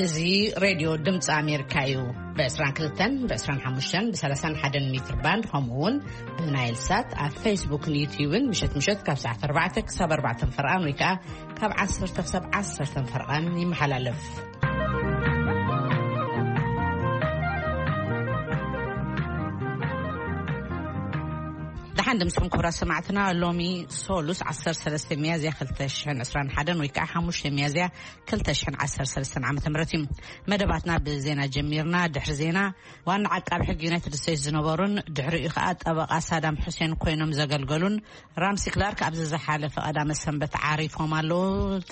እዚ ሬድዮ ድምፂ ኣሜሪካ እዩ። ብ22፣ ብ25፣ ብ31 ሜትር ባንድ፣ ከምኡ እውን ብናይል ሳት ኣብ ፌስቡክን ዩትዩብን ምሸት ምሸት ካብ ሰዓት 4 ክሳብ 4 ፈርቓን ወይ ከዓ ካብ 10 ክሳብ 10 ፈርቓን ይመሓላለፍ። ደሓን ድምፅኹም ክቡራት ሰማዕትና። ሎሚ ሶሉስ 13 ሚያዝያ 2021 ወይ ከዓ 5 ሚያዝያ 2013 ዓመተ ምህረት እዩ። መደባትና ብዜና ጀሚርና። ድሕሪ ዜና ዋና ዓቃቢ ሕጊ ዩናይትድ ስቴትስ ዝነበሩን ድሕሪኡ ከዓ ጠበቃ ሳዳም ሑሴን ኮይኖም ዘገልገሉን ራምሲ ክላርክ ኣብዚ ዝሓለፈ ቀዳመ ሰንበት ዓሪፎም ኣለዉ።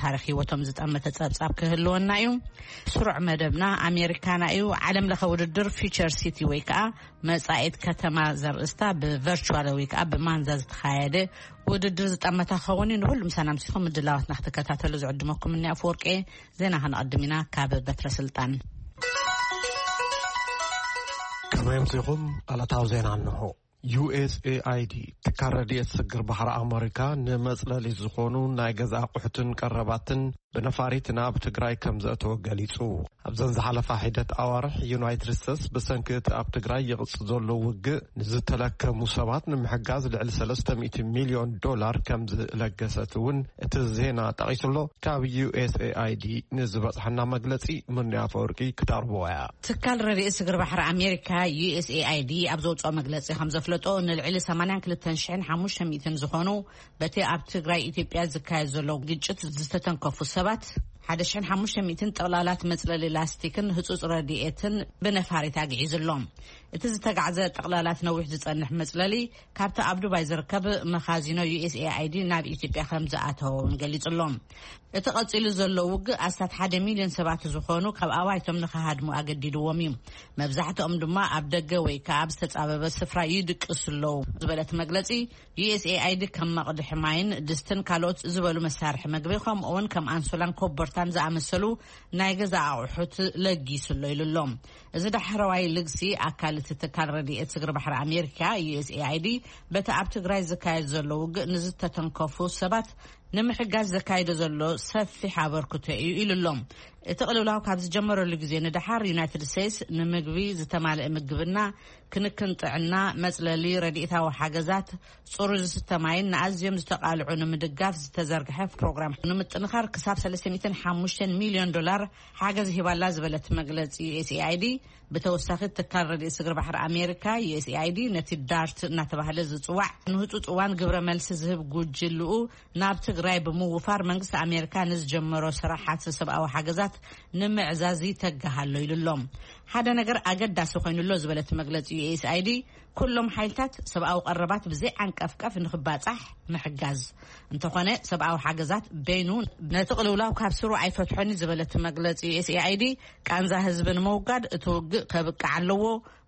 ታሪክ ህይወቶም ዝጠመተ ጸብጻብ ክህልወና እዩ። ስሩዕ መደብና ኣሜሪካና እዩ። ዓለም ለኸ ውድድር ፊቸር ሲቲ ወይ ከዓ መጻኢት ከተማ ዘርእስታ ብቨርቹዋል ወይ ከዓ ብማንዛ ዝተኻየደ ውድድር ዝጠመታ ክኸውን እዩ። ንኩሉ ምሳና ምሲኹም ምድላዋትና ክትከታተሉ ዝዕድመኩም እኒ ኣፈወርቂ። ዜና ከነቐድም ኢና ካብ በትረ ስልጣን። ከመይ ኣምሲኹም? ዕለታዊ ዜና እንሆ። ዩ ኤስ ኤ ኣይ ዲ፣ ትካል ረድኤት ስግር ባሕሪ ኣመሪካ፣ ንመጽለሊ ዝኾኑ ናይ ገዛ ኣቑሑትን ቀረባትን ብነፋሪት ናብ ትግራይ ከም ዘእተወ ገሊጹ። ኣብዘን ዝሓለፋ ሒደት ኣዋርሕ፣ ዩናይትድ ስቴትስ ብሰንኪ እቲ ኣብ ትግራይ ይቕጽ ዘሎ ውግእ ንዝተለከሙ ሰባት ንምሕጋዝ ልዕሊ 300 ሚልዮን ዶላር ከም ዝለገሰት እውን እቲ ዜና ጠቒሱሎ። ካብ ዩ ኤስ ኤ ኣይ ዲ ንዝበጽሐና መግለጺ ምንያ ኣፈወርቂ ክተቕርብዎ እያ። ትካል ረድኤት ስግር ባሕሪ ኣሜሪካ፣ ዩ ኤስ ኤ ኣይ ዲ፣ ኣብ ዘውፅኦ መግለፂ ከም ዘፍለጦ፣ ንልዕሊ 82,500 ዝኾኑ በቲ ኣብ ትግራይ ኢትዮጵያ ዝካየድ ዘሎ ግጭት ዝተተንከፉ ሰባት 1,500 ጥቕላላት መፅለሊ ላስቲክን ህፁፅ ረድኤትን ብነፋሪት ኣግዒዙ ኣሎ። እቲ ዝተጋዕዘ ጥቕላላት ነዊሕ ዝፀንሕ መፅለሊ ካብቲ ኣብ ዱባይ ዝርከብ መኻዚኖ ዩ ኤስ ኤ ኣይ ዲ ናብ ኢትዮጵያ ከም ዝኣተወ እውን ገሊጹ ኣሎ። እቲ ቀጺሉ ዘሎ ውግእ ኣስታት ሓደ ሚልዮን ሰባት ዝኾኑ ካብ ኣባይቶም ንኽሃድሙ ኣገዲድዎም እዩ። መብዛሕትኦም ድማ ኣብ ደገ ወይ ከኣ ኣብ ዝተጻበበ ስፍራ ይድቅሱ ኣለዉ ዝበለት መግለጺ፣ ዩ ኤስ ኤ ኣይ ዲ ከም መቕድሒ ማይን ድስትን ካልኦት ዝበሉ መሳርሒ መግቢ፣ ከምኡውን ከም ኣንሶላን ኮቦርታን ዝኣመሰሉ ናይ ገዛ ኣቑሑት ለጊሱ ኣሎ ኢሉ ኣሎ። እዚ ዳሕረዋይ ልግሲ ኣካል እቲ ትካል ረድኤት ስግር ባሕሪ ኣሜሪካ፣ ዩ ኤስ ኤ ኣይ ዲ፣ በቲ ኣብ ትግራይ ዝካየድ ዘሎ ውግእ ንዝተተንከፉ ሰባት ንምሕጋዝ ዘካይዶ ዘሎ ሰፊሕ ኣበርክቶ እዩ ኢሉ ኣሎ። እቲ ቅልውላው ካብ ዝጀመረሉ ግዜ ንደሓር፣ ዩናይትድ ስቴትስ ንምግቢ፣ ዝተማልአ ምግብና፣ ክንክን ጥዕና፣ መጽለሊ፣ ረድኤታዊ ሓገዛት፣ ጽሩይ ዝስተ ማይን ንኣዝዮም ዝተቓልዑ ንምድጋፍ ዝተዘርግሐ ፕሮግራም ንምጥንኻር ክሳብ 305 ሚልዮን ዶላር ሓገዝ ሂባላ ዝበለት መግለጺ ዩ ኤስ ኤ ኣይ ዲ፣ ብተወሳኺ ትካል ረድኤት ስግር ባሕሪ ኣሜሪካ፣ ዩ ኤስ ኤ ኣይ ዲ፣ ነቲ ዳርት እናተባህለ ዝጽዋዕ ንህጹጽ እዋን ግብረ መልሲ ዝህብ ጉጅልኡ ናብ ትግራይ ብምውፋር፣ መንግስቲ ኣሜሪካ ንዝጀመሮ ስራሓት ሰብኣዊ ሓገዛት ንምዕዛዝ ይተግህ ኣሎ ኢሉ ኣሎ። ሓደ ነገር ኣገዳሲ ኮይኑ ኣሎ ዝበለት መግለጺ ዩ ኤስ ኣይ ዲ፣ ኩሎም ሓይልታት ሰብኣዊ ቀረባት ብዘይ ዓንቀፍቀፍ ንኽባጻሕ ምሕጋዝ። እንተኾነ፣ ሰብኣዊ ሓገዛት በይኑ ነቲ ቅልውላው ካብ ስሩ ኣይፈትሖን እዩ ዝበለት መግለጺ ዩ ኤስ ኤ ኣይ ዲ፣ ቃንዛ ህዝቢ ንምውጋድ እቲ ውግእ ከብቅዕ ኣለዎ።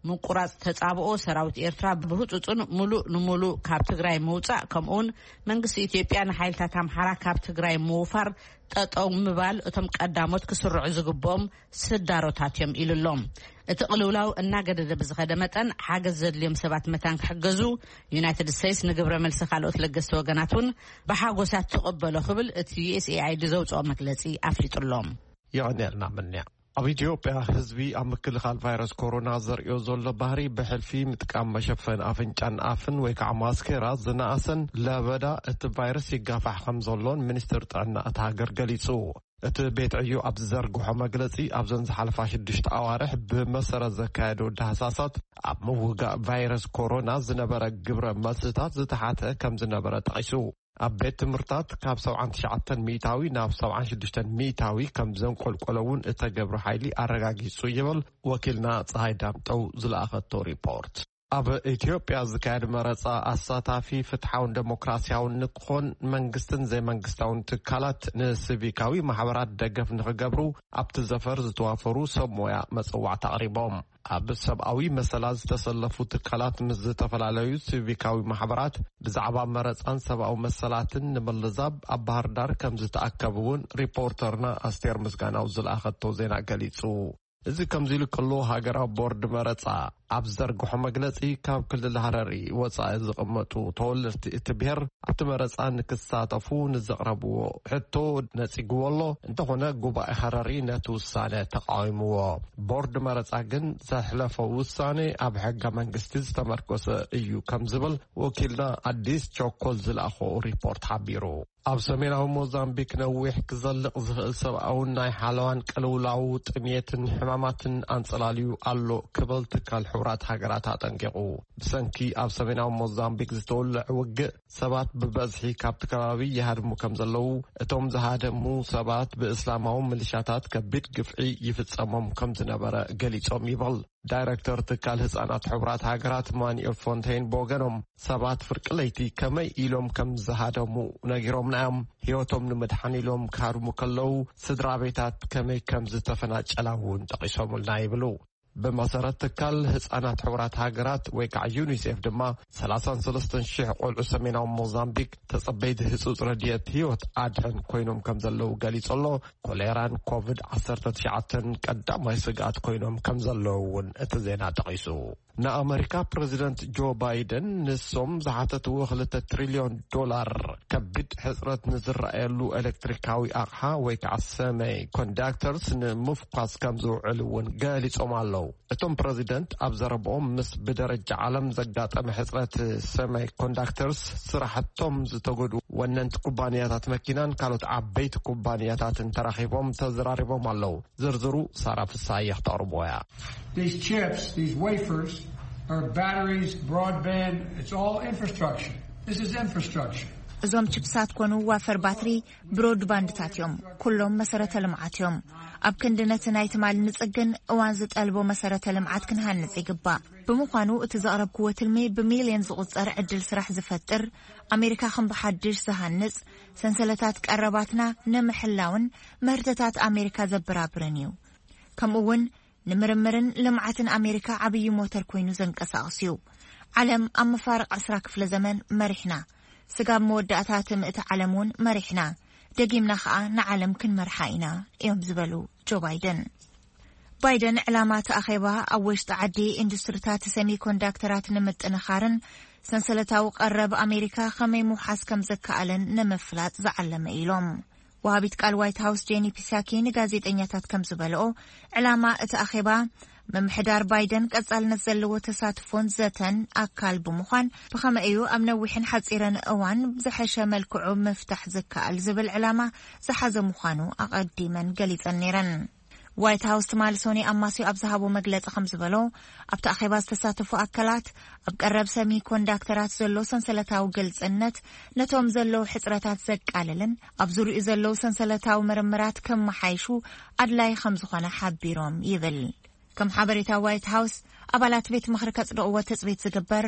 ምቁራጽ ተጻብኦ ሰራዊት ኤርትራ ብህጹጽን ሙሉእ ንሙሉእ ካብ ትግራይ ምውጻእ፣ ከምኡውን መንግስቲ ኢትዮጵያ ንሓይልታት ኣምሓራ ካብ ትግራይ ምውፋር ጠጠው ምባል እቶም ቀዳሞት ክስርዑ ዝግብኦም ስዳሮታት እዮም ኢሉ ኣሎ። እቲ ቅልውላው እናገደደ ብዝኸደ መጠን፣ ሓገዝ ዘድልዮም ሰባት መታን ክሕገዙ፣ ዩናይትድ ስቴትስ ንግብረ መልሲ ካልኦት ለገስቲ ወገናት እውን ብሓጎሳት ትቕበሎ ክብል እቲ ዩ ኤስ ኤ ኣይ ዲ ዘውፅኦ መግለፂ ኣፍሊጡ ኣሎ። የቐንየልና ምንያ። ኣብ ኢትዮጵያ ህዝቢ ኣብ ምክልኻል ቫይረስ ኮሮና ዘርእዮ ዘሎ ባህሪ ብሕልፊ ምጥቃም መሸፈኒ ኣፍንጫን ኣፍን ወይ ከዓ ማስኬራ ዝነኣሰን ለበዳ እቲ ቫይረስ ይጋፋሕ ከም ዘሎን ሚኒስትር ጥዕና እታ ሃገር ገሊጹ። እቲ ቤት ዕዩ ኣብ ዝዘርግሖ መግለጺ፣ ኣብዘን ዝሓለፋ ሽዱሽተ ኣዋርሕ ብመሰረት ዘካየዶ ዳህሳሳት ኣብ ምውጋእ ቫይረስ ኮሮና ዝነበረ ግብረ መልስታት ዝተሓተ ከም ዝነበረ ጠቒሱ። ኣብ ቤት ትምህርታት ካብ 79% ናብ 76% ከም ዘንቆልቆለ እውን እተገብረ ሓይሊ ኣረጋጊጹ ይብል ወኪልና ፀሃይ ዳምጠው ዝለኣኸቶ ሪፖርት። ኣብ ኢትዮጵያ ዝካየድ መረፃ ኣሳታፊ፣ ፍትሓውን ዴሞክራሲያውን ንክኾን መንግስትን ዘይመንግስታውን ትካላት ንሲቪካዊ ማሕበራት ደገፍ ንክገብሩ ኣብቲ ዘፈር ዝተዋፈሩ ሰብ ሞያ መፀዋዕታ ኣቕሪቦም። ኣብ ሰብኣዊ መሰላት ዝተሰለፉ ትካላት ምስ ዝተፈላለዩ ሲቪካዊ ማሕበራት ብዛዕባ መረፃን ሰብኣዊ መሰላትን ንምልዛብ ኣብ ባህር ዳር ከም ዝተኣከቡ እውን ሪፖርተርና ኣስቴር ምስጋናው ዝለኣኸቶ ዜና ገሊጹ። እዚ ከምዚ ኢሉ ከሎ፣ ሃገራዊ ቦርድ መረጻ ኣብ ዘርግሖ መግለጺ፣ ካብ ክልል ሃረሪ ወጻኢ ዝቕመጡ ተወለድቲ እቲ ብሔር ኣብቲ መረጻ ንክሳተፉ ንዘቕረብዎ ሕቶ ነጺግዎ ኣሎ። እንተኾነ፣ ጉባኤ ሃረሪ ነቲ ውሳነ ተቓዊምዎ። ቦርድ መረጻ ግን ዘሕለፎ ውሳነ ኣብ ሕገ መንግስቲ ዝተመርኮሰ እዩ ከም ዝብል ወኪልና ኣዲስ ቸኮል ዝለኣኾ ሪፖርት ሓቢሩ። ኣብ ሰሜናዊ ሞዛምቢክ ነዊሕ ክዘልቕ ዝኽእል ሰብኣውን ናይ ሓለዋን ቅልውላው፣ ጥሜትን ሕማማትን ኣንጸላልዩ ኣሎ ክብል ትካል ሕቡራት ሃገራት ኣጠንቂቑ። ብሰንኪ ኣብ ሰሜናዊ ሞዛምቢክ ዝተወልዐ ውግእ፣ ሰባት ብበዝሒ ካብቲ ከባቢ ይሃድሙ ከም ዘለዉ፣ እቶም ዝሃደሙ ሰባት ብእስላማዊ ምልሻታት ከቢድ ግፍዒ ይፍጸሞም ከም ዝነበረ ገሊጾም ይብል። ዳይረክተር ትካል ህጻናት ሕቡራት ሃገራት ማኑኤል ፎንቴን ብወገኖም፣ ሰባት ፍርቂ ለይቲ ከመይ ኢሎም ከም ዝሃደሙ ነጊሮምና እዮም። ህይወቶም ንምድሓን ኢሎም ክሃድሙ ከለዉ፣ ስድራ ቤታት ከመይ ከም ዝተፈናጨላ እውን ጠቒሶምልና ይብሉ። ብመሰረት ትካል ህጻናት ሕቡራት ሃገራት ወይ ከዓ ዩኒሴፍ ድማ፣ ሰላሳን ሰለስተን ሽሕ ቆልዑ ሰሜናዊ ሞዛምቢክ ተጸበይቲ ህጹጽ ረድኤት ህይወት ኣድሕን ኮይኖም ከም ዘለዉ ገሊጹ ኣሎ። ኮሌራን ኮቪድ ዓሰርተ ትሽዓተን ቀዳማይ ስግኣት ኮይኖም ከም ዘለዉ እውን እቲ ዜና ጠቒሱ። ንኣመሪካ ፕረዚደንት ጆ ባይደን ንሶም ዝሓተትዎ ክልተ ትሪልዮን ዶላር ከቢድ ሕጽረት ንዝረኣየሉ ኤሌክትሪካዊ ኣቕሓ ወይ ከዓ ሰመይ ኮንዳክተርስ ንምፍኳስ ከም ዝውዕል እውን ገሊጾም ኣለዉ። እቶም ፕረዚደንት ኣብ ዘረብኦም፣ ምስ ብደረጃ ዓለም ዘጋጠመ ሕጽረት ሰመይ ኮንዳክተርስ ስራሕቶም ዝተጎድኡ ወነንቲ ኩባንያታት መኪናን ካልኦት ዓበይቲ ኩባንያታትን ተራኺቦም ተዘራሪቦም ኣለዉ። ዝርዝሩ ሳራ ፍሳየ ክተቕርቦ እያ። These chips, these wafers, are batteries, broadband, it's all infrastructure. This is infrastructure. እዞም ችፕሳት ኮኑ ዋፈር ባትሪ፣ ብሮድባንድታት እዮም። ኩሎም መሰረተ ልምዓት እዮም። ኣብ ክንዲ ነቲ ናይ ትማሊ ንጽግን እዋን ዝጠልቦ መሰረተ ልምዓት ክንሃንጽ ይግባእ። ብምዃኑ እቲ ዘቕረብክዎ ትልሚ ብሚልዮን ዝቑጸር ዕድል ስራሕ ዝፈጥር፣ ኣሜሪካ ከም ብሓድሽ ዝሃንጽ፣ ሰንሰለታት ቀረባትና ንምሕላውን ምህርትታት ኣሜሪካ ዘበራብርን እዩ። ከምኡ እውን ንምርምርን ልምዓትን ኣሜሪካ ዓብዪ ሞተር ኮይኑ ዘንቀሳቕስ እዩ። ዓለም ኣብ መፋርቕ ዕስራ ክፍለ ዘመን መሪሕና፣ ስጋብ መወዳእታ እቲ ምእቲ ዓለም እውን መሪሕና፣ ደጊምና ኸኣ ንዓለም ክንመርሓ ኢና እዮም ዝበሉ ጆ ባይደን። ባይደን ዕላማ እቲ ኣኼባ ኣብ ወሽጢ ዓዲ ኢንዱስትሪታት ሰሚኮንዳክተራት ንምጥንኻርን ሰንሰለታዊ ቀረብ ኣሜሪካ ከመይ ምውሓስ ከም ዘከኣለን ንምፍላጥ ዝዓለመ ኢሎም። ወሃቢት ቃል ዋይት ሃውስ ጄኒ ፒሳኪ ንጋዜጠኛታት ከም ዝበልኦ፣ ዕላማ እቲ ኣኼባ ምምሕዳር ባይደን ቀጻልነት ዘለዎ ተሳትፎን ዘተን ኣካል ብምዃን፣ ብኸመይ እዩ ኣብ ነዊሕን ሓጺርን እዋን ብዝሐሸ መልክዑ ምፍታሕ ዝከኣል ዝብል ዕላማ ዝሓዘ ምዃኑ ኣቐዲመን ገሊጸን ነይረን። ዋይት ሃውስ ትማሊ ሶኒ ኣማስዩ ኣብ ዝሃቦ መግለጺ ከም ዝበሎ፣ ኣብቲ ኣኼባ ዝተሳተፉ ኣካላት ኣብ ቀረብ ሰሚ ኮንዳክተራት ዘሎ ሰንሰለታዊ ግልጽነት ነቶም ዘለዉ ሕጽረታት ዘቃልልን ኣብ ዙሪኡ ዘለዉ ሰንሰለታዊ ምርምራት ከመሓይሹ ኣድላይ ከም ዝኾነ ሓቢሮም ይብል። ከም ሓበሬታ ዋይት ሃውስ፣ ኣባላት ቤት ምኽሪ ከጽድቕዎ ትጽቢት ዝግበር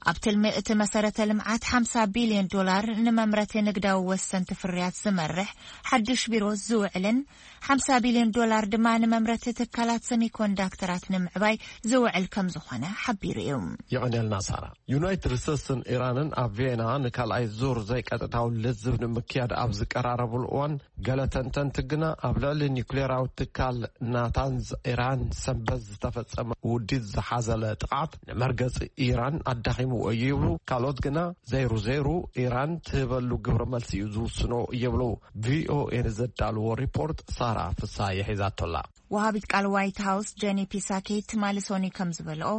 ኣብ ትልሚ እቲ መሰረተ ልምዓት ሓምሳ ቢልዮን ዶላር ንመምረቲ ንግዳዊ ወሰንቲ ፍርያት ዝመርሕ ሓድሽ ቢሮ ዝውዕልን ሓምሳ ቢልዮን ዶላር ድማ ንመምረቲ ትካላት ሰሚኮንዳክተራት ንምዕባይ ዝውዕል ከም ዝኾነ ሓቢሩ እዩ። የቐንየልና ሳራ። ዩናይትድ ስቴትስን ኢራንን ኣብ ቪየና ንካልኣይ ዙር ዘይቀጥታዊ ልዝብ ንምክያድ ኣብ ዝቀራረብሉ እዋን፣ ገለ ተንተንቲ ግና ኣብ ልዕሊ ኒውክሌራዊ ትካል ናታንዝ ኢራን ሰንበት ዝተፈጸመ ውዲት ዝሓዘለ ጥቕዓት ንመርገጺ ኢራን ኣዳኺምዎ እዩ ይብሉ። ካልኦት ግና ዘይሩ ዘይሩ ኢራን ትህበሉ ግብረ መልሲ እዩ ዝውስኖ ይብሉ። ቪኦኤ ንዘዳልዎ ሪፖርት ሳራ ፍሳሐ ሒዛቶላ። ወሃቢት ቃል ዋይት ሃውስ ጀኒ ፒሳኪ ትማሊ ሶኒ ከም ዝበልኦ፣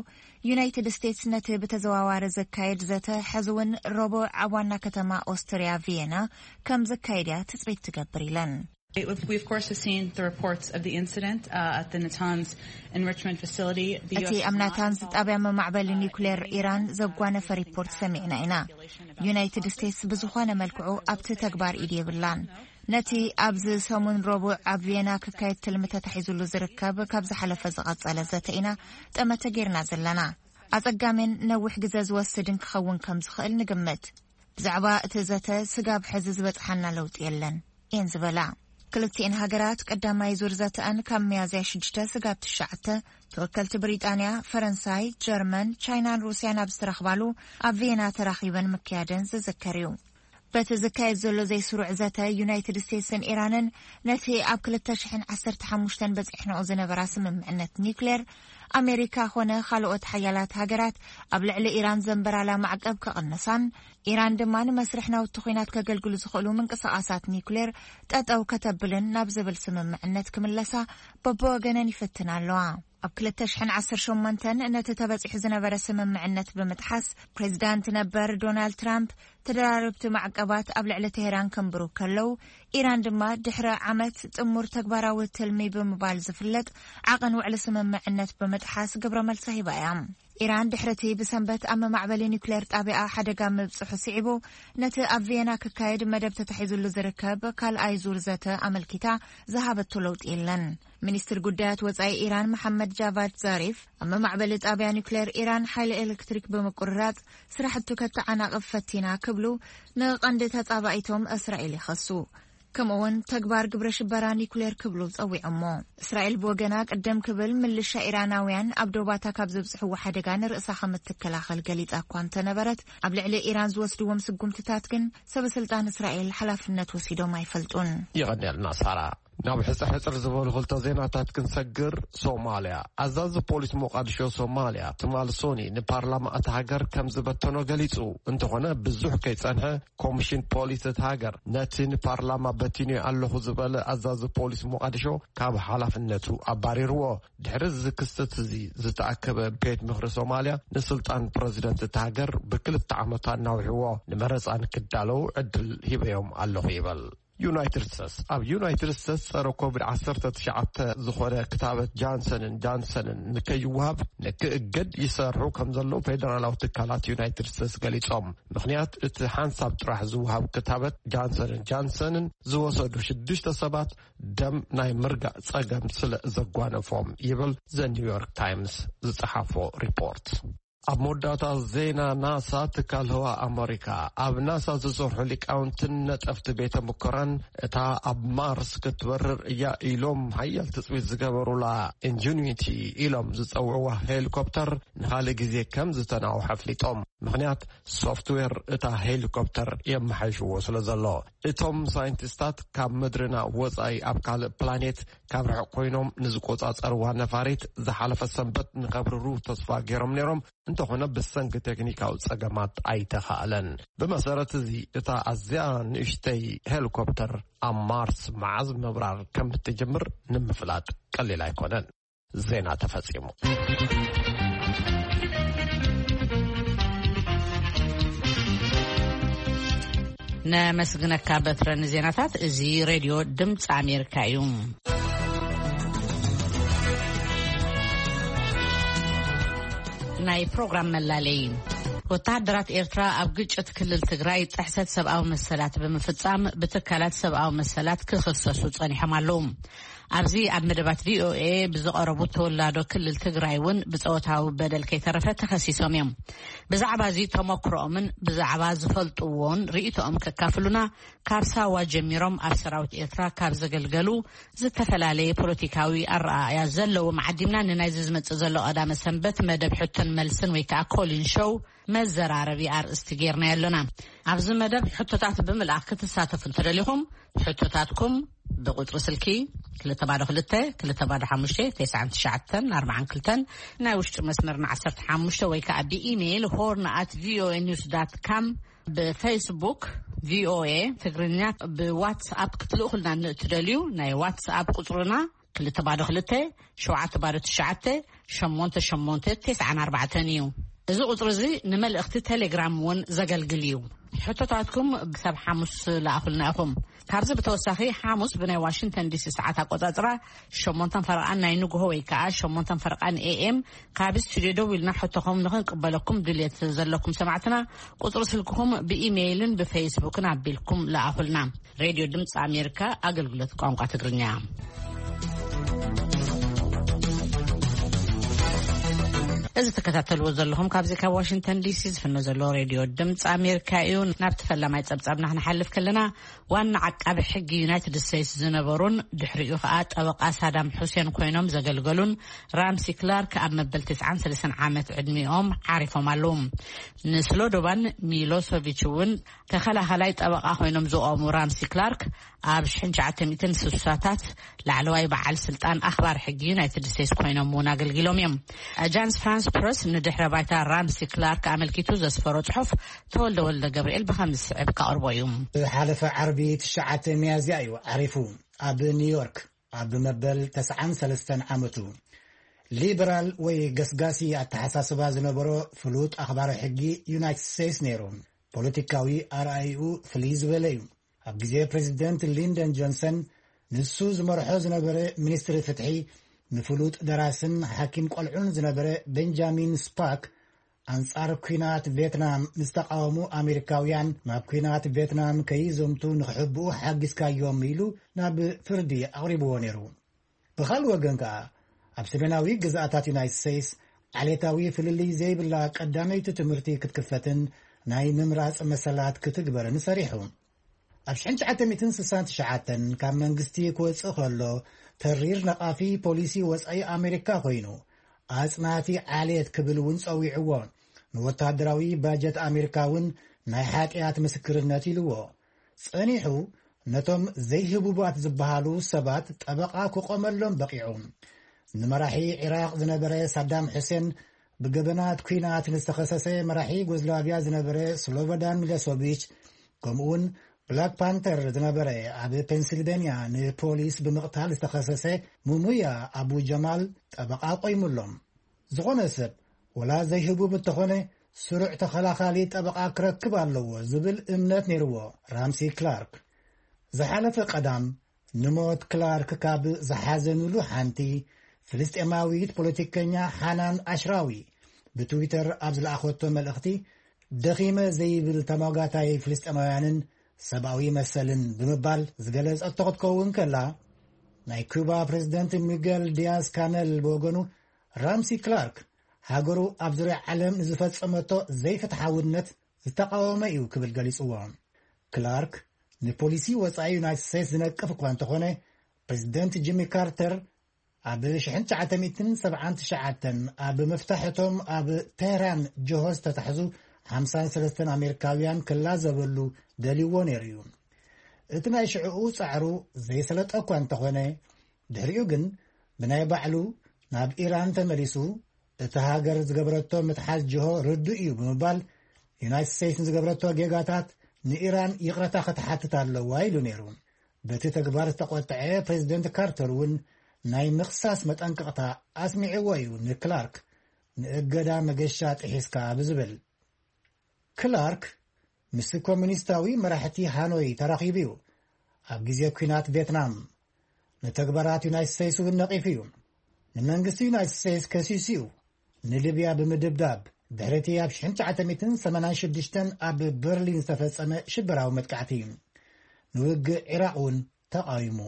ዩናይትድ ስቴትስ ነቲ ብተዘዋዋሪ ዘካየድ ዘተ ሕዚ እውን ረቡዕ ኣብ ዋና ከተማ ኦስትርያ ቪየና ከም ዘካየድ እያ ትጽቢት ትገብር ኢለን። We, of course, have seen the reports of the incident uh, at the Natanz enrichment facility. The እቲ U S ኣብ ናታንዝ ጣብያ መማዕበሊ ኒውክሌር ኢራን ዘጓነፈ ሪፖርት ሰሚዕና ኢና። ዩናይትድ ስቴትስ ብዝኾነ መልክዑ ኣብቲ ተግባር ኢድ የብላን። ነቲ ኣብዚ ሰሙን ረቡዕ ኣብ ቪየና ክካየድ ትልሚ ተታሒዙሉ ዝርከብ ካብ ዝሓለፈ ዝቐጸለ ዘተ ኢና ጠመተ ጌርና ዘለና። ኣጸጋምን ነዊሕ ግዘ ዝወስድን ክኸውን ከም ዝኽእል ንግምት። ብዛዕባ እቲ ዘተ ስጋብ ሕዚ ዝበጽሓና ለውጢ የለን እየን ዝበላ። ክልቲኤን ሃገራት ቀዳማይ ዙር ዘተኣን ካብ ሚያዝያ ሽዱሽተ ስጋብ ትሽዓተ፣ ተወከልቲ ብሪጣንያ፣ ፈረንሳይ፣ ጀርመን፣ ቻይናን ሩስያን ኣብ ዝተረኽባሉ ኣብ ቪየና ተራኺበን ምክያደን ዝዝከር እዩ። በቲ ዝካየድ ዘሎ ዘይስሩዕ ዘተ፣ ዩናይትድ ስቴትስን ኢራንን ነቲ ኣብ ክልተ ሽሕን ዓሰርተ ሓሙሽተን በጺሕንኦ ዝነበራ ስምምዕነት ኒውክሌር፣ ኣሜሪካ ኾነ ካልኦት ሓያላት ሃገራት ኣብ ልዕሊ ኢራን ዘንበራላ ማዕቀብ ከቕንሳን፣ ኢራን ድማ ንመስርሕ ናውቲ ኲናት ከገልግሉ ዝኽእሉ ምንቅስቓሳት ኒውክሌር ጠጠው ከተብልን ናብ ዝብል ስምምዕነት ክምለሳ በብወገነን ይፍትና ኣለዋ። ኣብ ክልተ ሽሕን ዓሰርተ ሸሞንተን ነቲ ተበጺሑ ዝነበረ ስምምዕነት ብምጥሓስ፣ ፕሬዚዳንት ነበር ዶናልድ ትራምፕ ተደራረብቲ ማዕቀባት ኣብ ልዕሊ ቴሄራን ከንብሩ ከለዉ፣ ኢራን ድማ ድሕሪ ዓመት ጥሙር ተግባራዊ ትልሚ ብምባል ዝፍለጥ ዓቐን ውዕሊ ስምምዕነት ብምጥሓስ ግብረ መልሲ ሂባ እያ። ኢራን ድሕሪ እቲ ብሰንበት ኣብ መማዕበሊ ኒውክሌር ጣቢያ ሓደጋ ምብጽሑ ስዒቡ፣ ነቲ ኣብ ቪየና ክካየድ መደብ ተታሒዙሉ ዝርከብ ካልኣይ ዙር ዘተ ኣመልኪታ ዝሃበቶ ለውጢ የለን። ሚኒስትር ጉዳያት ወጻኢ ኢራን መሐመድ ጃቫድ ዛሪፍ፣ ኣብ መማዕበሊ ጣቢያ ኒውክሌር ኢራን ሓይሊ ኤሌክትሪክ ብምቁርራጽ ስራሕቱ ከተዓናቕፍ ፈቲና ክብሉ ንቐንዲ ተጻባኢቶም እስራኤል ይኸሱ። ከምኡውን ተግባር ግብረ ሽበራ ኒውክሌር ክብሉ ጸዊዖሞ። እስራኤል ብወገና ቅደም ክብል ምልሻ ኢራናውያን ኣብ ዶባታ ካብ ዘብጽሕዎ ሓደጋ ንርእሳ ከም እትከላኸል ገሊጻ እኳ እንተነበረት፣ ኣብ ልዕሊ ኢራን ዝወስድዎም ስጉምትታት ግን ሰበ ስልጣን እስራኤል ሓላፍነት ወሲዶም ኣይፈልጡን። ይቐንየልና ሳራ። ናብ ሕጽር ሕጽር ዝበሉ ክልተ ዜናታት ክንሰግር። ሶማልያ። ኣዛዚ ፖሊስ ሞቃዲሾ ሶማልያ ትማል ሶኒ ንፓርላማ እታ ሃገር ከም ዝበተኖ ገሊጹ። እንተኾነ ብዙሕ ከይጸንሐ ኮሚሽን ፖሊስ እታ ሃገር ነቲ ንፓርላማ በቲኑ ኣለኹ ዝበለ ኣዛዚ ፖሊስ ሞቃዲሾ ካብ ሓላፍነቱ ኣባሪርዎ። ድሕሪ እዚ ክስተት እዚ ዝተኣከበ ቤት ምኽሪ ሶማልያ ንስልጣን ፕረዚደንት እታ ሃገር ብክልተ ዓመት ኣናዊሕዎ። ንመረጻ ንክዳለዉ ዕድል ሂበዮም ኣለኹ ይበል። ዩናይትድ ስቴትስ። ኣብ ዩናይትድ ስቴትስ ጸረ ኮቪድ ዓሰርተ ትሽዓተ ዝኾነ ክታበት ጃንሰንን ጃንሰንን ንከይወሃብ ንክእገድ ይሰርሑ ከም ዘለዉ ፌደራላዊ ትካላት ዩናይትድ ስቴትስ ገሊጾም። ምኽንያት እቲ ሓንሳብ ጥራሕ ዝወሃብ ክታበት ጃንሰንን ጃንሰንን ዝወሰዱ ሽዱሽተ ሰባት ደም ናይ ምርጋእ ጸገም ስለ ዘጓነፎም ይብል ዘ ኒውዮርክ ታይምስ ዝጸሓፎ ሪፖርት። ኣብ መወዳእታ ዜና ናሳ፣ ትካል ህዋ ኣመሪካ፣ ኣብ ናሳ ዝሰርሑ ሊቃውንትን ነጠፍቲ ቤተ ሙከራን እታ ኣብ ማርስ ክትበርር እያ ኢሎም ሓያል ትጽቢት ዝገበሩላ ኢንጂኒቲ ኢሎም ዝጸውዕዋ ሄሊኮፕተር ንኻልእ ግዜ ከም ዝተናውሐ ኣፍሊጦም። ምኽንያት ሶፍትዌር እታ ሄሊኮፕተር የመሓይሽዎ ስለ ዘሎ። እቶም ሳይንቲስታት ካብ ምድርና ወጻኢ ኣብ ካልእ ፕላኔት ካብ ርሑቕ ኮይኖም ንዝቆጻጸርዋ ነፋሪት ዝሓለፈ ሰንበት ንኸብርሩ ተስፋ ገይሮም ነይሮም። እንተኾነ ብሰንኪ ቴክኒካዊ ጸገማት ኣይተኻእለን። ብመሰረት እዚ እታ ኣዝያ ንእሽተይ ሄሊኮፕተር ኣብ ማርስ መዓዝ ምብራር ከም እትጅምር ንምፍላጥ ቀሊል ኣይኮነን። ዜና ተፈጺሙ። ነመስግነካ በትረ ንዜናታት። እዚ ሬድዮ ድምፂ ኣሜሪካ እዩ። ናይ ፕሮግራም መላለይ። ወተሃደራት ኤርትራ ኣብ ግጭት ክልል ትግራይ ጥሕሰት ሰብኣዊ መሰላት ብምፍጻም ብትካላት ሰብኣዊ መሰላት ክኽሰሱ ጸኒሖም ኣለዉ። ኣብዚ ኣብ መደባት ቪኦኤ ብዝቐረቡ ተወላዶ ክልል ትግራይ እውን ብጾታዊ በደል ከይተረፈ ተኸሲሶም እዮም። ብዛዕባ እዚ ተመክሮኦምን ብዛዕባ ዝፈልጥዎን ርእይቶኦም ከካፍሉና ካብ ሳዋ ጀሚሮም ኣብ ሰራዊት ኤርትራ ካብ ዘገልገሉ ዝተፈላለየ ፖለቲካዊ ኣረኣእያ ዘለዎም ዓዲምና ንናይዚ ዝመጽእ ዘሎ ቀዳመ ሰንበት መደብ ሕቶን መልስን ወይ ከዓ ኮሊን ሾው መዘራረቢ ኣርእስቲ ጌርናዮ ኣሎና። ኣብዚ መደብ ሕቶታት ብምልኣኽ ክትሳተፉ እንተደሊኹም፣ ሕቶታትኩም ብቁጽሪ ስልኪ ክልተ ባዶ ክልተ፣ ክልተ ባዶ ሓሙሽተ፣ ተስዓን ትሽዓተን ኣርባዓን ክልተን፣ ናይ ውሽጢ መስመርና ዓሰርተ ሓሙሽተ ወይ ከዓ ብኢሜይል ሆርን ኣት ቪኦኤ ኒውስ ዳት ካም፣ ብፌስቡክ ቪኦኤ ትግርኛ፣ ብዋትስኣፕ ክትልእኹልና ንእትደልዩ ናይ ዋትስኣፕ ቁጽርና ክልተ ባዶ ክልተ፣ ሸውዓተ ባዶ ትሽዓተ፣ ሸሞንተ ሸሞንተ፣ ተስዓን ኣርባዕተን እዩ። እዚ ቁጽሪ እዚ ንመልእኽቲ ቴሌግራም እውን ዘገልግል እዩ። ሕቶታትኩም ክሳብ ሓሙስ ለኣኹልና ኢኹም። ካብዚ ብተወሳኺ ሓሙስ ብናይ ዋሽንግተን ዲሲ ሰዓት ኣቆጻጽራ ሸሞንተን ፈረቓን ናይ ንግሆ ወይ ከዓ ሸሞንተን ፈረቓን ኤ ኤም ካብ ስቱዲዮ ደዊልና ሕቶኹም ንኽንቅበለኩም ድልየት ዘለኩም ሰማዕትና ቁጽሪ ስልክኹም ብኢሜይልን ብፌስቡክን ኣቢልኩም ለኣኹልና። ሬድዮ ድምፂ ኣሜሪካ ኣገልግሎት ቋንቋ ትግርኛ። እዚ ትከታተልዎ ዘለኹም ካብዚ ካብ ዋሽንግተን ዲሲ ዝፍኖ ዘሎ ሬድዮ ድምፂ ኣሜሪካ እዩ። ናብቲ ፈላማይ ጸብጻብና ክንሓልፍ ከለና፣ ዋና ዓቃቢ ሕጊ ዩናይትድ ስቴትስ ዝነበሩን ድሕሪኡ ከኣ ጠበቓ ሳዳም ሑሴን ኮይኖም ዘገልገሉን ራምሲ ክላርክ ኣብ መበል ትስዓን ሰለስተን ዓመት ዕድሚኦም ዓሪፎም ኣለዉ። ንስሎዶባን ሚሎሶቪች እውን ተኸላኸላይ ጠበቓ ኮይኖም ዝቖሙ ራምሲ ክላርክ፣ ኣብ ሽሕን ትሽዓተ ሚእትን ስሳታት ላዕለዋይ በዓል ስልጣን ኣኽባር ሕጊ ዩናይትድ ስቴትስ ኮይኖም እውን ኣገልጊሎም እዮም። ኣጃንስ ፍራንስ ፕረስ ንድሕረ ባይታ ራምሲ ክላርክ ኣመልኪቱ ዘስፈሮ ጽሑፍ፣ ተወልደ ወልደ ገብርኤል ብኸም ዝስዕብ ከቕርቦ እዩ። ዝሓለፈ ዓርቢ ትሽዓተ ሚያዝያ እዩ ዓሪፉ። ኣብ ኒውዮርክ ኣብ መበል ተስዓን ሰለስተን ዓመቱ፣ ሊበራል ወይ ገስጋሲ ኣተሓሳስባ ዝነበሮ ፍሉጥ ኣኽባሪ ሕጊ ዩናይትድ ስቴትስ ነይሩ። ፖለቲካዊ ኣርኣይኡ ፍልይ ዝበለ እዩ። ኣብ ግዜ ፕሬዚደንት ሊንደን ጆንሰን፣ ንሱ ዝመርሖ ዝነበረ ሚኒስትሪ ፍትሒ፣ ንፍሉጥ ደራስን ሓኪም ቆልዑን ዝነበረ ቤንጃሚን ስፓክ፣ ኣንጻር ኲናት ቬትናም ንዝተቓወሙ ኣሜሪካውያን ናብ ኲናት ቬትናም ከይዘምቱ ንኽሕብኡ ሓጊዝካዮም ኢሉ ናብ ፍርዲ ኣቕሪብዎ ነይሩ። ብኻልእ ወገን ከኣ፣ ኣብ ሰሜናዊ ግዝኣታት ዩናይትድ ስቴትስ ዓሌታዊ ፍልልይ ዘይብላ ቀዳመይቲ ትምህርቲ ክትክፈትን ናይ ምምራጽ መሰላት ክትግበርን ሰሪሑ። ኣብ ሽሕን ትሽዓተ ሚእትን ስሳን ትሽዓተን ካብ መንግስቲ ክወጽእ ከሎ፣ ተሪር ነቓፊ ፖሊሲ ወጻኢ ኣሜሪካ ኮይኑ፣ ኣጽናቲ ዓሌት ክብል እውን ጸዊዕዎ። ንወታደራዊ ባጀት ኣሜሪካ እውን ናይ ሓጢኣት ምስክርነት ኢልዎ። ጸኒሑ ነቶም ዘይህቡባት ዝበሃሉ ሰባት ጠበቓ ክቖመሎም በቒዑ። ንመራሒ ዒራቕ ዝነበረ ሳዳም ሑሴን፣ ብገበናት ኲናት ንዝተኸሰሰ መራሒ ዩጎዝላቪያ ዝነበረ ስሎቦዳን ሚሎሶቪች፣ ከምኡውን ብላክ ፓንተር ዝነበረ፣ ኣብ ፔንሲልቬንያ ንፖሊስ ብምቕታል ዝተኸሰሰ ሙሙያ ኣቡ ጀማል ጠበቓ ቆይሙሎም። ዝኾነ ሰብ፣ ወላ ዘይህቡብ እንተኾነ፣ ስሩዕ ተኸላኻሊ ጠበቓ ክረክብ ኣለዎ ዝብል እምነት ነይርዎ ራምሲ ክላርክ። ዝሓለፈ ቀዳም ንሞት ክላርክ ካብ ዝሓዘኑሉ ሓንቲ፣ ፍልስጤማዊት ፖለቲከኛ ሓናን ኣሽራዊ ብትዊተር ኣብ ዝለኣኸቶ መልእኽቲ፣ ደኺመ ዘይብል ተሟጋታይ ፍልስጤማውያንን ሰብኣዊ መሰልን ብምባል ዝገለጸቶ ክትከውን ከላ፣ ናይ ኩባ ፕሬዝደንት ሚገል ዲያዝ ካነል ብወገኑ፣ ራምሲ ክላርክ ሃገሩ ኣብ ዙርያ ዓለም ንዝፈጸመቶ ዘይፍትሓውነት ዝተቃወመ እዩ ክብል ገሊጽዎ። ክላርክ ንፖሊሲ ወጻኢ ዩናይትድ ስቴትስ ዝነቅፍ እኳ እንተኾነ፣ ፕሬዝደንት ጂሚ ካርተር ኣብ ሽሕን ትሽዓተ ሚእትን ሰብዓን ትሽዓተን ኣብ መፍታሕቶም ኣብ ቴህራን ጆሆ ዝተታሕዙ ሓምሳን ሰለስተን ኣሜሪካውያን ክላዘበሉ ደልይዎ ነይሩ እዩ። እቲ ናይ ሽዕኡ ጻዕሩ ዘይሰለጠ እኳ እንተኾነ፣ ድሕሪኡ ግን ብናይ ባዕሉ ናብ ኢራን ተመሊሱ፣ እቲ ሃገር ዝገበረቶ ምትሓዝ ጅሆ ርዱእ እዩ ብምባል፣ ዩናይትድ ስቴትስ ንዝገበረቶ ጌጋታት ንኢራን ይቕረታ ክትሓትት ኣለዋ ኢሉ ነይሩ። በቲ ተግባር ዝተቖጥዐ ፕሬዚደንት ካርተር እውን ናይ ምኽሳስ መጠንቀቕታ ኣስሚዕዎ እዩ ንክላርክ፣ ንእገዳ መገሻ ጥሒስካ ብዝብል። ክላርክ ምስ ኮሙኒስታዊ መራሕቲ ሃኖይ ተራኺቡ እዩ። ኣብ ግዜ ኲናት ቬትናም ንተግባራት ዩናይትድ ስቴትስ እውን ነቒፉ እዩ። ንመንግስቲ ዩናይትድ ስቴትስ ከሲሱ እዩ። ንሊብያ ብምድብዳብ፣ ድሕሪ እቲ ኣብ ሽሕን ትሽዓተ ሚእትን ሰማንያን ሽዱሽተን ኣብ በርሊን ዝተፈጸመ ሽበራዊ መጥቃዕቲ፣ ንውግእ ዒራቕ እውን ተቓዊሙ።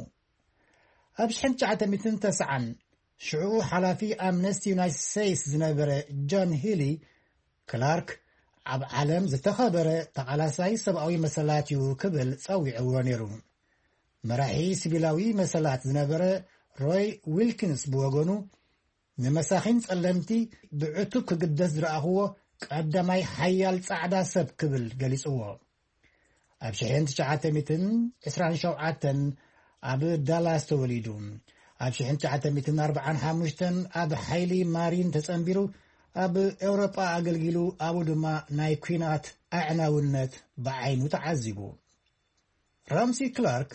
ኣብ ሽሕን ትሽዓተ ሚእትን ተስዓን ሽዑ ሓላፊ ኣምነስቲ ዩናይትድ ስቴትስ ዝነበረ ጆን ሂሊ፣ ክላርክ ኣብ ዓለም ዝተኸበረ ተቓላሳይ ሰብኣዊ መሰላት እዩ ክብል ጸዊዕዎ ነይሩ። መራሒ ሲቪላዊ መሰላት ዝነበረ ሮይ ዊልኪንስ ብወገኑ፣ ንመሳኺን ጸለምቲ ብዕቱብ ክግደስ ዝረኣኽዎ ቀዳማይ ሓያል ጻዕዳ ሰብ ክብል ገሊጽዎ። ኣብ ሽሕን ትሽዓተ ሚእትን ዕስራን ሸውዓተን ኣብ ዳላስ ተወሊዱ። ኣብ ሽሕን ትሽዓተ ሚእትን ኣርባዓን ሓሙሽተን ኣብ ሓይሊ ማሪን ተጸንቢሩ፣ ኣብ ኤውሮጳ ኣገልጊሉ፣ ኣብኡ ድማ ናይ ኲናት ኣዕናውነት ብዓይኑ ተዓዚቡ። ራምሲ ክላርክ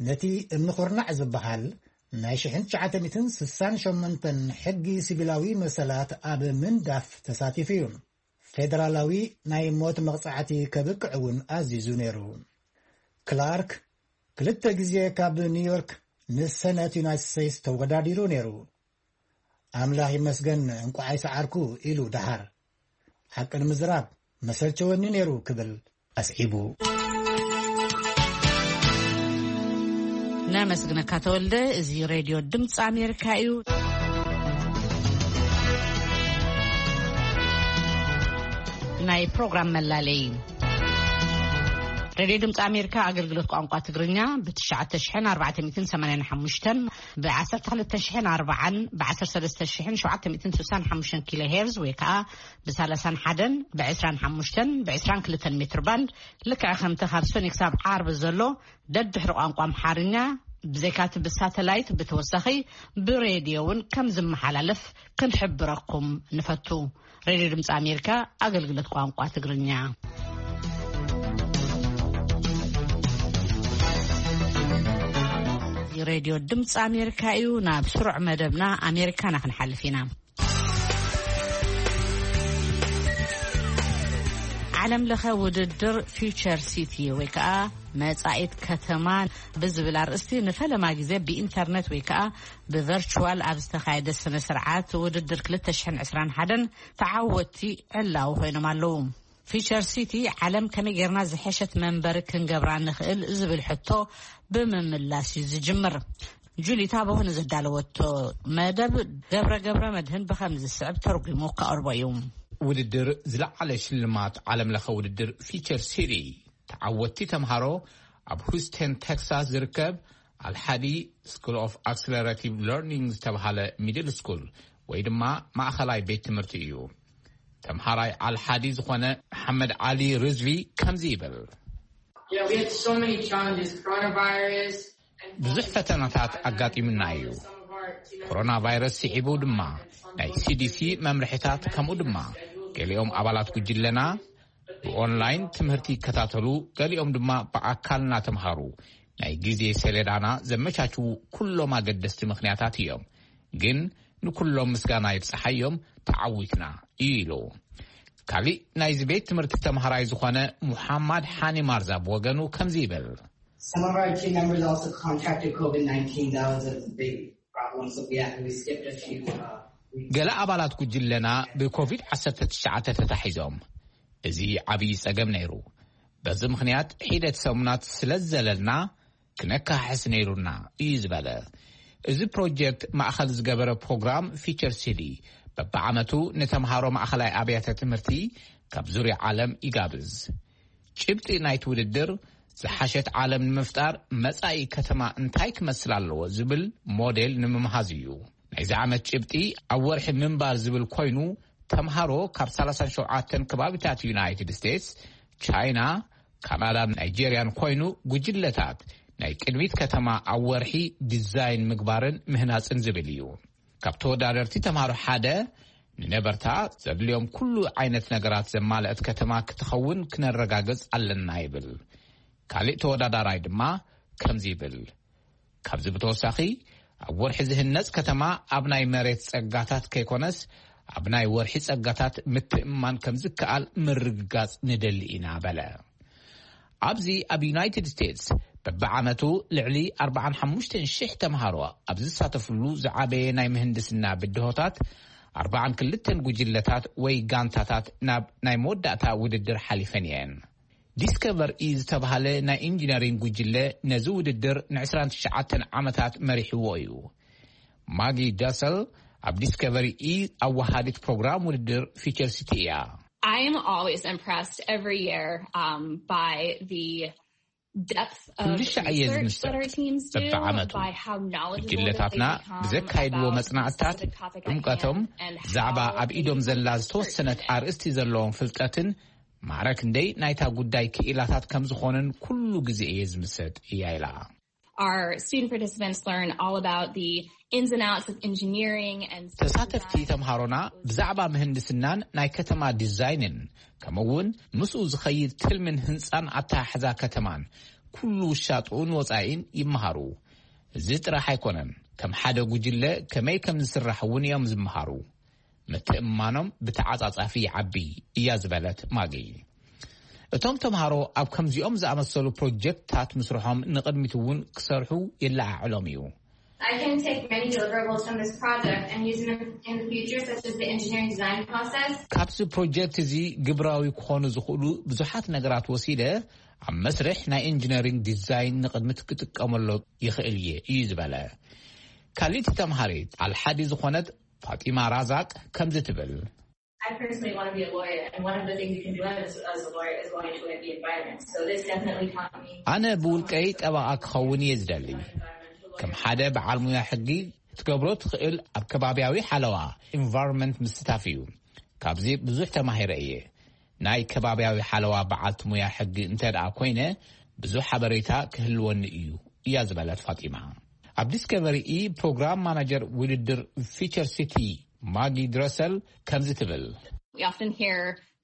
ነቲ እምኒ ኩርናዕ ዝበሃል ናይ ሽሕን ትሽዓተ ሚእትን ስሳን ሸሞንተን ሕጊ ሲቪላዊ መሰላት ኣብ ምንዳፍ ተሳቲፉ እዩ። ፌደራላዊ ናይ ሞት መቕጻዕቲ ከብቅዕ እውን ኣዚዙ ነይሩ። ክላርክ ክልተ ግዜ ካብ ኒውዮርክ ንሰነት ዩናይትድ ስቴትስ ተወዳዲሩ ነይሩ። ኣምላኽ ይመስገን እንቋዕ ኣይሰዓርኩ ኢሉ ደሓር። ሓቂ ንምዝራብ መሰልቸወኒ ነይሩ ክብል ኣስዒቡ። ነመስግነካ ተወልደ። እዚ ሬድዮ ድምፂ ኣሜሪካ እዩ። ናይ ፕሮግራም መላለይ። ሬድዮ ድምፂ ኣሜሪካ ኣገልግሎት ቋንቋ ትግርኛ ብ ትሽዓተ ሽሕን ኣርባዕተ ሚእትን ሰማንያን ሓሙሽተን፣ ብ ዓሰርተ ክልተ ሽሕን ኣርባዓን፣ ብ ዓሰርተ ሰለስተ ሽሕን ሸውዓተ ሚእትን ስሳን ሓሙሽተን ኪሎ ሄርዝ ወይ ከዓ ብ ሰላሳን ሓደን፣ ብ ዕስራን ሓሙሽተን፣ ብ ዕስራን ክልተን ሜትር ባንድ፣ ልክዕ ከምቲ ካብ ሰኒ ክሳብ ዓርቢ ዘሎ ደድሕሪ ቋንቋ ኣምሓርኛ፣ ብዘይካቲ ብሳተላይት ብተወሳኺ ብሬድዮ እውን ከም ዝመሓላለፍ ክንሕብረኩም ንፈቱ። ሬድዮ ድምፂ ኣሜሪካ ኣገልግሎት ቋንቋ ትግርኛ። ሬድዮ ድምፂ ኣሜሪካ እዩ። ናብ ስሩዕ መደብና ኣሜሪካና ክንሓልፍ ኢና። ዓለም ለኸ ውድድር ፊውቸር ሲቲ ወይ ከዓ መጻኢት ከተማ ብዝብል ኣርእስቲ ንፈለማ ግዜ ብኢንተርነት ወይ ከዓ ብቨርቹዋል ኣብ ዝተኻየደ ስነ ስርዓት ውድድር ክልተ ሽሕን ዕስራን ሓደን ተዓወቲ ዕላዊ ኮይኖም ኣለዉ። ፊውቸር ሲቲ ዓለም ከመይ ጌርና ዝሐሸት መንበሪ ክንገብራ ንኽእል ዝብል ሕቶ ብምምላስ እዩ ዝጅምር። ጁሊታ በሆነ ዘዳለወቶ መደብ ገብረ ገብረ መድህን ብኸም ዝስዕብ ተርጉሙ ከቕርቦ እዩ። ውድድር ዝለዓለ ሽልማት ዓለም ለኸ ውድድር ፊቸር ሲቲ ተዓወቲ ተምሃሮ ኣብ ሁስተን ቴክሳስ ዝርከብ ኣልሓዲ ስኩል ኦፍ ኣክስለሬቲቭ ለርኒንግ ዝተብሃለ ሚድል ስኩል ወይ ድማ ማእኸላይ ቤት ትምህርቲ እዩ። ተምሃራይ ኣልሓዲ ዝኾነ መሓመድ ዓሊ ርዝቪ ከምዚ ይብል። Yeah, we had so many challenges, coronavirus. ብዙሕ ፈተናታት ኣጋጢሙና እዩ። ኮሮና ቫይረስ ስዒቡ ድማ ናይ ሲዲሲ መምርሒታት፣ ከምኡ ድማ ገሊኦም ኣባላት ጉጅለና ብኦንላይን ትምህርቲ ይከታተሉ፣ ገሊኦም ድማ ብኣካል እናተምሃሩ ናይ ግዜ ሰሌዳና ዘመቻችዉ ኩሎም ኣገደስቲ ምኽንያታት እዮም። ግን ንኩሎም ምስጋና ይብጽሓዮም፣ ተዓዊትና እዩ ኢሉ። ካሊእ ናይዚ ቤት ትምህርቲ ተምሃራይ ዝኾነ ሙሓማድ ሓኒ ማርዛ ብወገኑ ከምዚ ይብል። Some of our team members also contracted COVID nineteen. That was a big problem, so we had, we skipped a few, uh, weeks. ገለ ኣባላት ጉጅለና ብኮቪድ ዓሰርተ ትሽዓተ ተታሒዞም፣ እዚ ዓብዪ ጸገም ነይሩ። በዚ ምኽንያት ሒደት ሰሙናት ስለ ዝዘለልና ክነካሕስ ነይሩና እዩ ዝበለ። እዚ ፕሮጀክት ማእኸል ዝገበረ ፕሮግራም ፊቸር ሲቲ በብዓመቱ ንተምሃሮ ማእኸላይ ኣብያተ ትምህርቲ ካብ ዙርያ ዓለም ይጋብዝ። ጭብጢ ናይቲ ውድድር ዝሓሸት ዓለም ንምፍጣር መጻኢ ከተማ እንታይ ክመስል ኣለዎ ዝብል ሞዴል ንምምሃዝ እዩ። ናይዚ ዓመት ጭብጢ ኣብ ወርሒ ምንባር ዝብል ኮይኑ፣ ተምሃሮ ካብ ሰላሳን ሸውዓተን ከባቢታት ዩናይትድ ስቴትስ፣ ቻይና፣ ካናዳን ናይጄርያን ኮይኑ ጉጅለታት ናይ ቅድሚት ከተማ ኣብ ወርሒ ዲዛይን ምግባርን ምህናጽን ዝብል እዩ። ካብ ተወዳደርቲ ተምሃሮ ሓደ ንነበርታ ዘድልዮም ኩሉ ዓይነት ነገራት ዘማልአት ከተማ ክትኸውን ክነረጋግጽ ኣለና ይብል። ካሊእ ተወዳዳራይ ድማ ከምዚ ይብል። ካብዚ ብተወሳኺ ኣብ ወርሒ ዝህነጽ ከተማ ኣብ ናይ መሬት ጸጋታት ከይኮነስ ኣብ ናይ ወርሒ ጸጋታት ምትእምማን ከም ዝከኣል ምርግጋጽ ንደሊ ኢና በለ። ኣብዚ ኣብ ዩናይትድ ስቴትስ በብዓመቱ ልዕሊ ኣርባዓን ሓሙሽተን ሽሕ ተምሃሮ ኣብ ዝሳተፍሉ ዝዓበየ ናይ ምህንድስና ብድሆታት ኣርባዓን ክልተን ጉጅለታት ወይ ጋንታታት ናብ ናይ መወዳእታ ውድድር ሓሊፈን እየን። ዲስከቨር ኢ ዝተባህለ ናይ ኢንጂነሪንግ ጉጅለ ነዚ ውድድር ንዕስራን ትሽዓተን ዓመታት መሪሕዎ እዩ። ማጊ ዳሰል ኣብ ዲስከቨሪ ኢ ኣወሃዲት ፕሮግራም ውድድር ፊቸር ሲቲ እያ። I am always impressed every year, um, by the depth of ኩሉ ሻዕ እየ research ዝምስጥ። That our teams do, በብዓመቱ by how knowledgeable ጉጅለታትና that they become ብዘካይድዎ about መጽናዕትታት፣ specific topic at ዕምቀቶም፣ hand and ብዛዕባ how ኣብ ኢዶም they ዘላ use ዝተወሰነት research አርእስቲ ዘለዎም ፍልጠትን ማዕረ ክንደይ ናይታ ጉዳይ ክኢላታት ከም ዝኾንን ኩሉ ግዜ እየ ዝምስጥ እያ ኢላ። Our student participants learn all about the ins and outs of engineering and city ተሳተፍቲ design. ተምሃሮና ብዛዕባ ምህንድስናን ናይ ከተማ ዲዛይንን ከምኡ እውን ምስኡ ዝኸይድ ትልምን ህንፃን ኣተሓሕዛ ከተማን ኩሉ ውሻጥኡን ወፃኢን ይመሃሩ። እዚ ጥራሕ ኣይኮነን፣ ከም ሓደ ጉጅለ ከመይ ከም ዝስራሕ እውን እዮም ዝመሃሩ። ምትእምማኖም ብተዓጻጻፊ ይዓቢ እያ ዝበለት ማጊ። እቶም ተምሃሮ ኣብ ከምዚኦም ዝኣመሰሉ ፕሮጀክትታት ምስርሖም ንቕድሚት እውን ክሰርሑ የለዓዕሎም እዩ። I can take many deliverables from this project and use them in the future, such as the engineering design process. ካብዚ ፕሮጀክት እዚ ግብራዊ ክኾኑ ዝኽእሉ ብዙሓት ነገራት ወሲደ ኣብ መስርሕ ናይ ኢንጂነሪንግ ዲዛይን ንቕድሚት ክጥቀመሎ ይኽእል እየ እዩ ዝበለ። ካልእቲ ተምሃሪት ኣልሓዲ ዝኾነት ፋጢማ ራዛቅ ከምዚ ትብል። I personally want to be a lawyer, and one of the things you can do as, as a lawyer is go into the environment. So this definitely taught me. ኣነ ብውልቀይ ጠበቓ ክኸውን እየ ዝደሊ። ከም ሓደ በዓል ሙያ ሕጊ ክትገብሮ ትኽእል ኣብ ከባብያዊ ሓለዋ፣ ኢንቫይሮንመንት፣ ምስታፍ እዩ። ካብዚ ብዙሕ ተማሂረ እየ። ናይ ከባብያዊ ሓለዋ በዓልቲ ሙያ ሕጊ እንተ ደኣ ኮይነ፣ ብዙሕ ሓበሬታ ክህልወኒ እዩ፣ እያ ዝበለት ፋጢማ። ኣብ ዲስከቨሪ ኢ ፕሮግራም ማናጀር ውድድር ፊቸር ሲቲ ማጊ ድረሰል ከምዚ ትብል። We often hear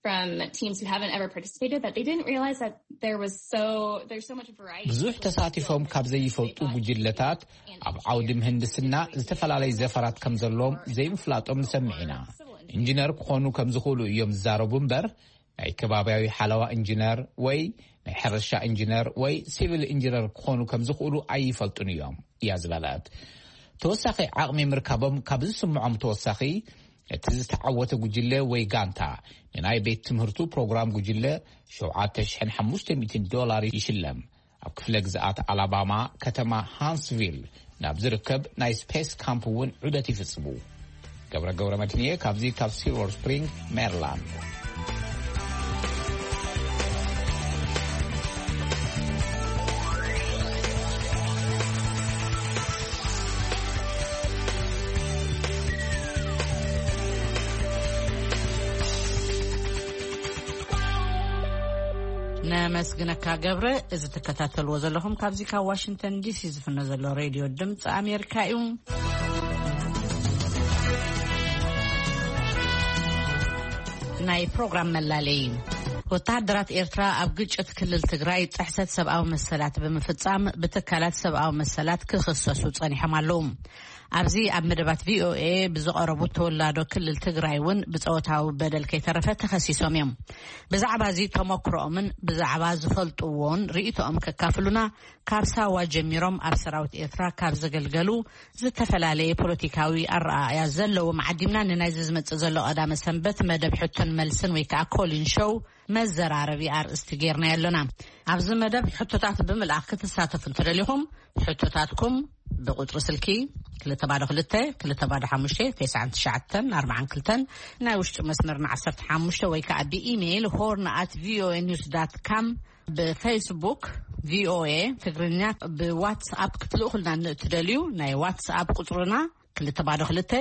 from teams who haven't ever participated that they didn't realize that there was so there's so much variety. ብዙሕ ተሳቲፎም ካብ ዘይፈልጡ ጉጅለታት ኣብ ዓውዲ ምህንድስና ዝተፈላለዩ ዘፈራት ከም ዘለዎም ዘይምፍላጦም ንሰምዕ ኢና። ኢንጂነር ክኾኑ ከም ዝኽእሉ እዮም ዝዛረቡ እምበር፣ ናይ ከባብያዊ ሓለዋ ኢንጂነር ወይ ናይ ሕርሻ ኢንጂነር ወይ ሲቪል ኢንጂነር ክኾኑ ከም ዝኽእሉ ኣይፈልጡን እዮም፣ እያ ዝበለት። ተወሳኺ ዓቕሚ ምርካቦም ካብ ዝስምዖም ተወሳኺ፣ እቲ ዝተዓወተ ጉጅለ ወይ ጋንታ ንናይ ቤት ትምህርቱ ፕሮግራም ጉጅለ ሸውዓተ ሽሕን ሓሙሽተ ሚእትን ዶላር ይሽለም። ኣብ ክፍለ ግዝኣት ኣላባማ ከተማ ሃንስቪል ናብ ዝርከብ ናይ ስፔስ ካምፕ እውን ዑደት ይፍጽሙ። ገብረ ገብረ መድህንየ ካብዚ ካብ ሲልቨር ስፕሪንግ ሜሪላንድ። ነመስግነካ ገብረ። እዚ ትከታተልዎ ዘለኹም ካብዚ ካብ ዋሽንግተን ዲሲ ዝፍኖ ዘሎ ሬድዮ ድምፂ ኣሜሪካ እዩ። ናይ ፕሮግራም መላለይ። ወተሃደራት ኤርትራ ኣብ ግጭት ክልል ትግራይ ጥሕሰት ሰብኣዊ መሰላት ብምፍጻም ብትካላት ሰብኣዊ መሰላት ክኽሰሱ ጸኒሖም ኣለዉ። ኣብዚ ኣብ መደባት ቪኦኤ ብዝቐረቡ ተወላዶ ክልል ትግራይ እውን ብጾታዊ በደል ከይተረፈ ተኸሲሶም እዮም። ብዛዕባ እዚ ተመክሮኦምን ብዛዕባ ዝፈልጥዎን ርእይቶኦም ከካፍሉና ካብ ሳዋ ጀሚሮም ኣብ ሰራዊት ኤርትራ ካብ ዘገልገሉ ዝተፈላለየ ፖለቲካዊ ኣረኣእያ ዘለዎም ዓዲምና ንናይዚ ዝመጽእ ዘሎ ቀዳመ ሰንበት መደብ ሕቶን መልስን ወይ ከዓ ኮሊን ሾው መዘራረቢ ኣርእስቲ ጌርናዮ ኣለና። ኣብዚ መደብ ሕቶታት ብምልኣኽ ክትሳተፉ እንተደሊኹም፣ ሕቶታትኩም ብቁጽሪ ስልኪ ክልተ ባዶ ክልተ፣ ክልተ ባዶ ሓሙሽተ፣ ተስዓን ትሽዓተን ኣርባዓን ክልተን፣ ናይ ውሽጢ መስመርና ዓሰርተ ሓሙሽተ፣ ወይ ከዓ ብኢሜይል ሆርን ኣት ቪኦኤ ኒውስ ዳት ካም፣ ብፌስቡክ ቪኦኤ ትግርኛ፣ ብዋትስኣፕ ክትልእኹልና እትደልዩ ናይ ዋትስኣፕ ቁጽርና ክልተ ባዶ ክልተ፣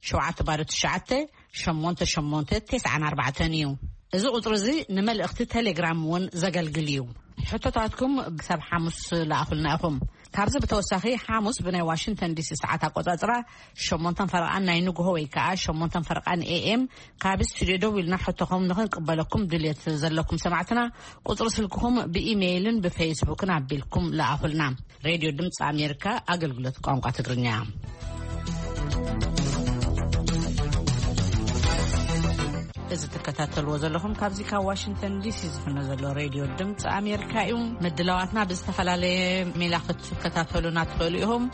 ሸውዓተ ባዶ ትሽዓተ፣ ሸሞንተ ሸሞንተ፣ ተስዓን ኣርባዕተን እዩ። እዚ ቁጽሪ እዚ ንመልእኽቲ ቴሌግራም እውን ዘገልግል እዩ። ሕቶታትኩም ክሳብ ሓሙስ ለኣኹልና ኢኹም። ካብዚ ብተወሳኺ ሓሙስ ብናይ ዋሽንግተን ዲሲ ሰዓት ኣቆጻጽራ ሸሞንተን ፈረቓን ናይ ንግሆ ወይ ከዓ ሸሞንተን ፈረቓን ኤ ኤም ካብ ስቱድዮ ደው ኢልና ሕቶኹም ንኽንቅበለኩም ድልየት ዘለኩም ሰማዕትና ቁጽሪ ስልክኹም ብኢሜይልን ብፌስቡክን ኣቢልኩም ለኣኹልና። ሬድዮ ድምፂ ኣሜሪካ ኣገልግሎት ቋንቋ ትግርኛ። እዚ ትከታተልዎ ዘለኹም ካብዚ ካብ ዋሽንግተን ዲሲ ዝፍኖ ዘሎ ሬድዮ ድምፂ ኣሜሪካ እዩ። ምድላዋትና ብዝተፈላለየ ሜላ ክትከታተሉና ትኽእሉ ኢኹም።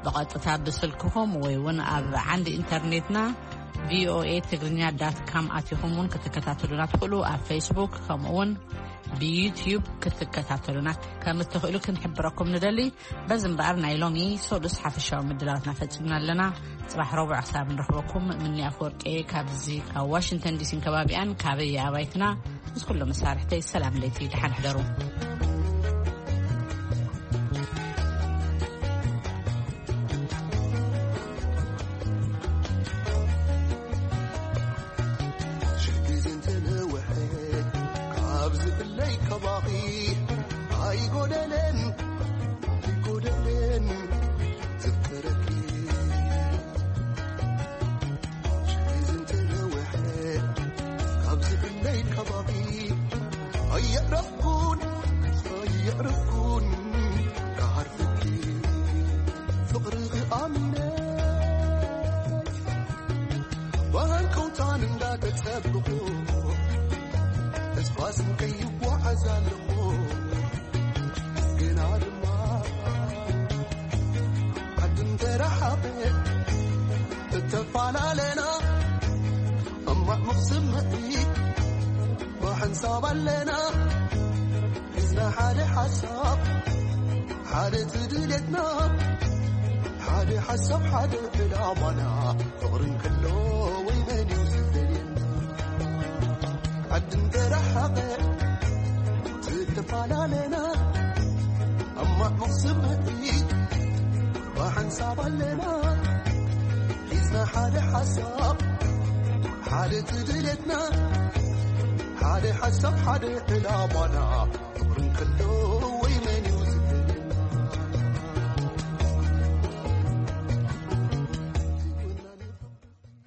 ብቐጥታ ብስልክኹም ወይ እውን ኣብ ዓንዲ ኢንተርኔትና ቪኦኤ ትግርኛ ዳት ካም ኣቲኹም እውን ክትከታተሉና ትኽእሉ። ኣብ ፌስቡክ ከምኡ እውን ብዩትዩብ ክትከታተሉና ከም እትኽእሉ ክንሕብረኩም ንደሊ። በዚ እምበኣር ናይ ሎሚ ሰሉስ ሓፈሻዊ ምድላዋትና ፈጺምና ኣለና። ጽባሕ ረቡዕ ክሳብ ንረኽበኩም ምንያ ኣፈወርቂ ካብዚ ካብ ዋሽንግተን ዲሲን ከባቢኣን ካበይ ኣባይትና ምስ ኩሎም መሳርሕተይ ሰላም ለይቲ ደሓን ሕደሩ። ሽግር እንተነውሐ ካብ ዝፍለይ ከባኺ ኣይጎደለን ኣይጎደለን ዘክረኪ ሽግር እንተነውሐ ካብ ዝፍለይ ከባኺ ኣየዕረፍኩን ኣየዕረፍኩን ክዓርፍኪ ፍቕርኺ ኣሚነ ብሃንቀውታን እንዳተጸበኹ ተስፋ ስንቀይ ይጓዓዝ ኣለኹ ግና ድማ ዓድም ተረሓቐ እተፈላለና እማቕ ስምዒት ብሓንሳብ ኣለና ሒዝና ሓደ ሓሳብ ሓደ ትድልየትና ሓደ ሓሳብ ሓደ ዕላማና ፍቕርን ከሎ ወይ መን እዩ ዝፈልየና ሓሳብ ሓደ ትድለትና ሓደ ሓሳብ ሓደ ዕላማና ፍቅርን ከሎ ወይ